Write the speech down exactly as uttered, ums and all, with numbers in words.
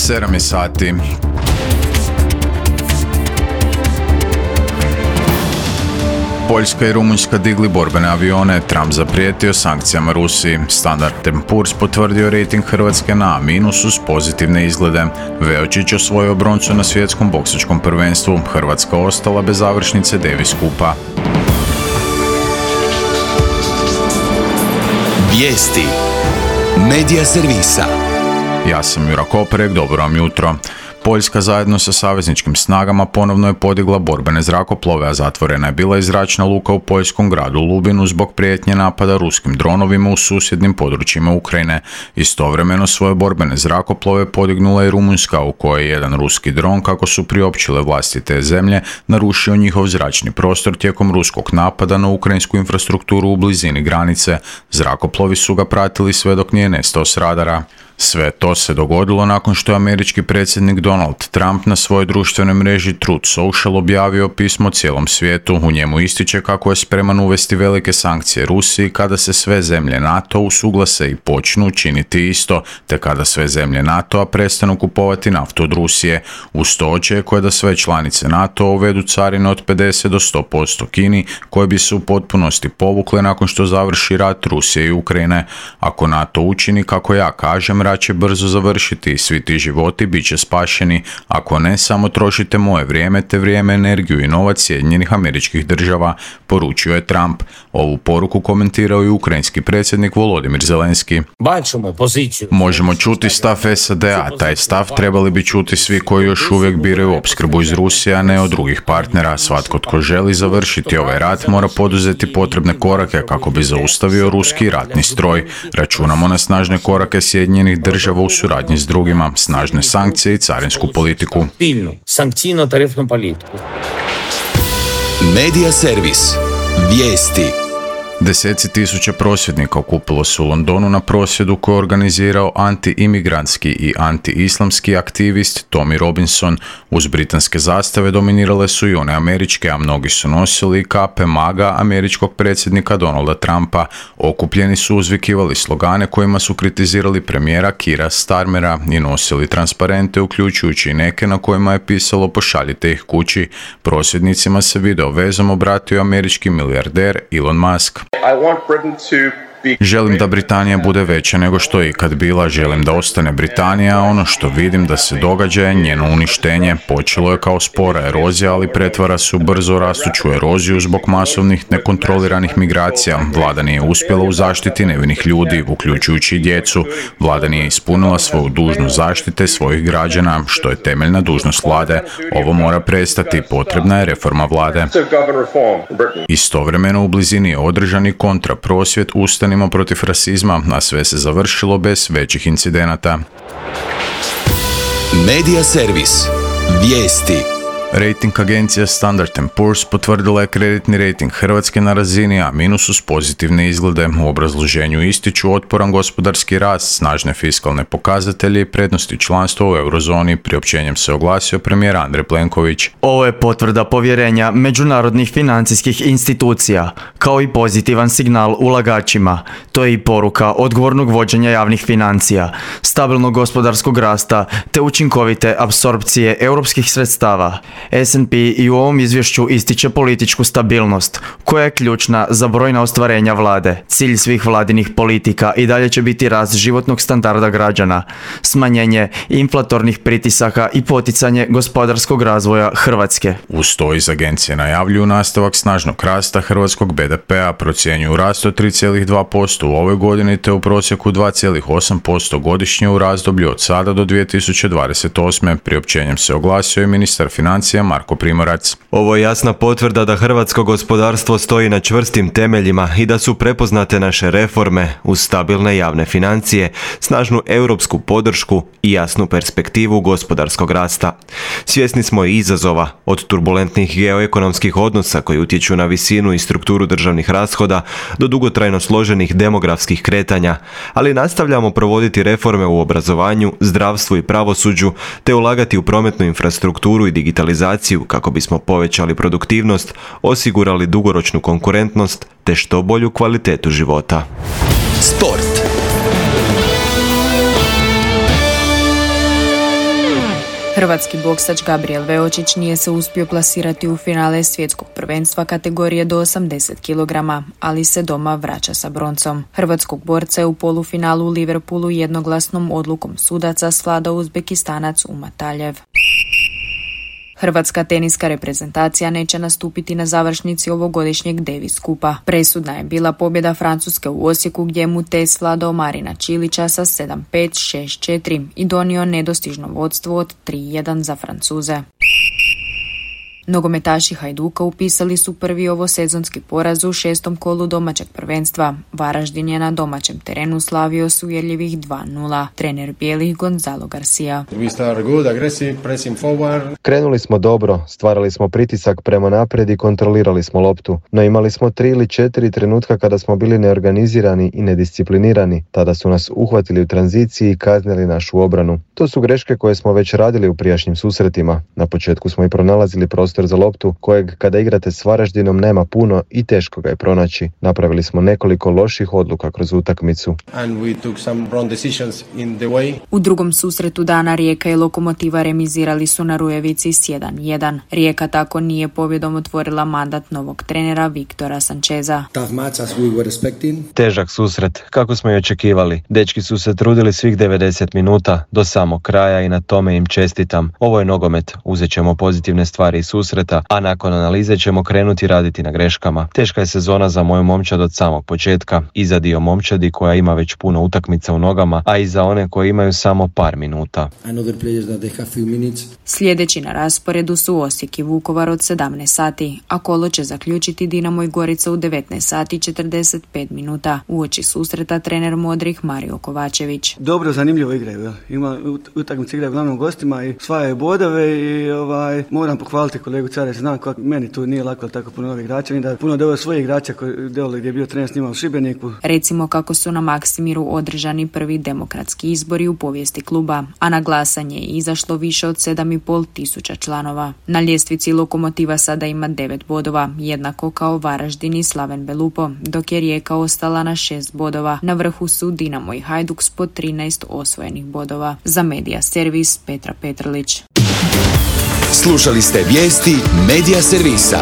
sedam je sati. Poljska i Rumunjska digli borbene avione, Trump zaprijetio sankcijama Rusiji. Standard and Poor's potvrdio rejting Hrvatske na A- uz pozitivne izglede. Veočić osvojio broncu na svjetskom boksačkom prvenstvu. Hrvatska ostala bez završnice Davis Kupa. Vijesti Medija servisa. Ja sam Jura Koperek, dobro vam jutro. Poljska zajedno sa savezničkim snagama ponovno je podigla borbene zrakoplove, a zatvorena je bila i zračna luka u poljskom gradu Lubinu zbog prijetnje napada ruskim dronovima u susjednim područjima Ukrajine. Istovremeno svoje borbene zrakoplove podignula je Rumunjska, u kojoj je jedan ruski dron, kako su priopćile vlasti te zemlje, narušio njihov zračni prostor tijekom ruskog napada na ukrajinsku infrastrukturu u blizini granice. Zrakoplovi su ga pratili sve dok nije nestao s radara. Sve to se dogodilo nakon što je američki predsjednik Donald Trump na svojoj društvenoj mreži Truth Social objavio pismo cijelom svijetu. U njemu ističe kako je spreman uvesti velike sankcije Rusiji kada se sve zemlje NATO usuglase i počnu činiti isto, te kada sve zemlje NATO-a prestanu kupovati naftu od Rusije. Uz to očekuje da sve članice NATO uvedu carine od pedeset do sto posto Kini, koje bi se u potpunosti povukle nakon što završi rat Rusije i Ukrajine. Ako NATO učini kako ja kažem, rat će brzo završiti i svi ti životi bit će spašeni. Ako ne, samo trošite moje vrijeme te vrijeme, energiju i novac Sjedinjenih Američkih Država, poručio je Trump. Ovu poruku komentirao i ukrajinski predsjednik Volodimir Zelenski. Možemo čuti stav S A D-a, taj stav trebali bi čuti svi koji još uvijek biraju opskrbu iz Rusije, a ne od drugih partnera. Svatko tko želi završiti ovaj rat mora poduzeti potrebne korake kako bi zaustavio ruski ratni stroj. Računamo na snažne korake Sjedinjenih Država u suradnji s drugima, snažne sankcije i carinsku politiku. Medija servis. Vijesti. Deseci tisuća prosvjednika okupilo se u Londonu na prosvjedu koji je organizirao anti-imigrantski i anti-islamski aktivist Tommy Robinson. Uz britanske zastave dominirale su i one američke, a mnogi su nosili kape maga američkog predsjednika Donalda Trumpa. Okupljeni su uzvikivali slogane kojima su kritizirali premijera Keira Starmera i nosili transparente, uključujući i neke na kojima je pisalo pošaljite ih kući. Prosvjednicima se video vezom obratio američki milijarder Elon Musk. I want Britain to Želim da Britanija bude veća nego što je ikad bila, želim da ostane Britanija, a ono što vidim da se događa je njeno uništenje. Počelo je kao spora erozija, ali pretvara se u brzo rastuću eroziju zbog masovnih nekontroliranih migracija. Vlada nije uspjela u zaštiti nevinih ljudi, uključujući i djecu. Vlada nije ispunila svoju dužnost zaštite svojih građana, što je temeljna dužnost vlade. Ovo mora prestati, potrebna je reforma vlade. Istovremeno u blizini je održani kontraprosvjed Ustanimo protiv rasizma, a sve se završilo bez većih incidenata. Medija servis. Vijesti. Rating agencija Standard and Poor's potvrdila je kreditni rating Hrvatske na razini A- uz pozitivne izglede. U obrazloženju ističu otporan gospodarski rast, snažne fiskalne pokazatelje i prednosti članstva u eurozoni. Priopćenjem se oglasio premijer Andrej Plenković. Ovo je potvrda povjerenja međunarodnih financijskih institucija, kao i pozitivan signal ulagačima. To je i poruka odgovornog vođenja javnih financija, stabilnog gospodarskog rasta te učinkovite apsorpcije europskih sredstava. S and P i u ovom izvješću ističe političku stabilnost, koja je ključna za brojna ostvarenja vlade. Cilj svih vladinih politika i dalje će biti rast životnog standarda građana, smanjenje inflatornih pritisaka i poticanje gospodarskog razvoja Hrvatske. Uz to iz agencije najavljuju nastavak snažnog rasta hrvatskog B D P-a, procjenjuju rast od tri zarez dva posto u ovoj godini te u prosjeku dva zarez osam posto godišnje u razdoblju od sada do dvije tisuće dvadeset osme. Priopćenjem se oglasio i ministar financija Marko Primorac. Ovo je jasna potvrda da hrvatsko gospodarstvo stoji na čvrstim temeljima i da su prepoznate naše reforme uz stabilne javne financije, snažnu europsku podršku i jasnu perspektivu gospodarskog rasta. Svjesni smo i izazova, od turbulentnih geoekonomskih odnosa koji utječu na visinu i strukturu državnih rashoda do dugotrajno složenih demografskih kretanja, ali nastavljamo provoditi reforme u obrazovanju, zdravstvu i pravosuđu te ulagati u prometnu infrastrukturu i digitalizaciju kako bismo povećali produktivnost, osigurali dugoročnu konkurentnost te što bolju kvalitetu života. Sport. Hrvatski boksač Gabriel Veočić nije se uspio plasirati u finale svjetskog prvenstva kategorije do osamdeset kilograma, ali se doma vraća sa broncom. Hrvatskog borca je u polufinalu u Liverpoolu jednoglasnom odlukom sudaca svladao Uzbekistanac Umataljev. Hrvatska teniska reprezentacija neće nastupiti na završnici ovogodišnjeg Davis Kupa. Presudna je bila pobjeda Francuske u Osijeku gdje mu te svladao Marina Čilića sa sedam pet, šest četiri i donio nedostižno vodstvo od tri jedan za Francuze. Nogometaši Hajduka upisali su prvi ovosezonski poraz u šestom kolu domaćeg prvenstva. Varaždin je na domaćem terenu slavio s uvjerljivih dva nula. Trener bijelih Gonzalo Garcia. Krenuli smo dobro, stvarali smo pritisak prema naprijed i kontrolirali smo loptu, no imali smo tri ili četiri trenutka kada smo bili neorganizirani i nedisciplinirani. Tada su nas uhvatili u tranziciji i kaznili našu obranu. To su greške koje smo već radili u prijašnjim susretima. Na početku smo i pronalazili prostor za loptu, kojeg kada igrate s Varaždinom nema puno i teško ga je pronaći. Napravili smo nekoliko loših odluka kroz utakmicu. U drugom susretu dana Rijeka i Lokomotiva remizirali su na Rujevici s jedan jedan. Rijeka tako nije pobjedom otvorila mandat novog trenera Viktora Sančeza. Težak susret, kako smo i očekivali. Dečki su se trudili svih devedeset minuta do samog kraja i na tome im čestitam. Ovo je nogomet, uzet ćemo pozitivne stvari iz susreta, a nakon analize ćemo krenuti raditi na greškama. Teška je sezona za moju momčad od samog početka i za dio momčadi koja ima već puno utakmica u nogama, a i za one koje imaju samo par minuta. Sljedeći na rasporedu su Osijek i Vukovar od sedamnaest sati, a kolo će zaključiti Dinamo i Gorica u devetnaest sati i četrdeset pet minuta. Uoči susreta trener modrih Mario Kovačević. Dobro, zanimljivo igraju. Ima utakmice igraju glavnom gostima i osvajaju bodove i ovaj, moram pohvaliti kolegu Carec, znam kako meni tu nije lako tako puno novih igrača, ni da puno doveo svojih igrača koji dole gdje je bio trener s njima u Šibeniku. Recimo kako su na Maksimiru održani prvi demokratski izbori u povijesti kluba, a na glasanje je izašlo više od sedam i pol tisuća članova. Na ljestvici Lokomotiva sada ima devet bodova, jednako kao Varaždin i Slaven Belupo, dok je Rijeka ostala na šest bodova. Na vrhu su Dinamo i Hajduk s po trinaest osvojenih bodova. Za Medija servis Petra Petrlić. Slušali ste vijesti Medija servisa.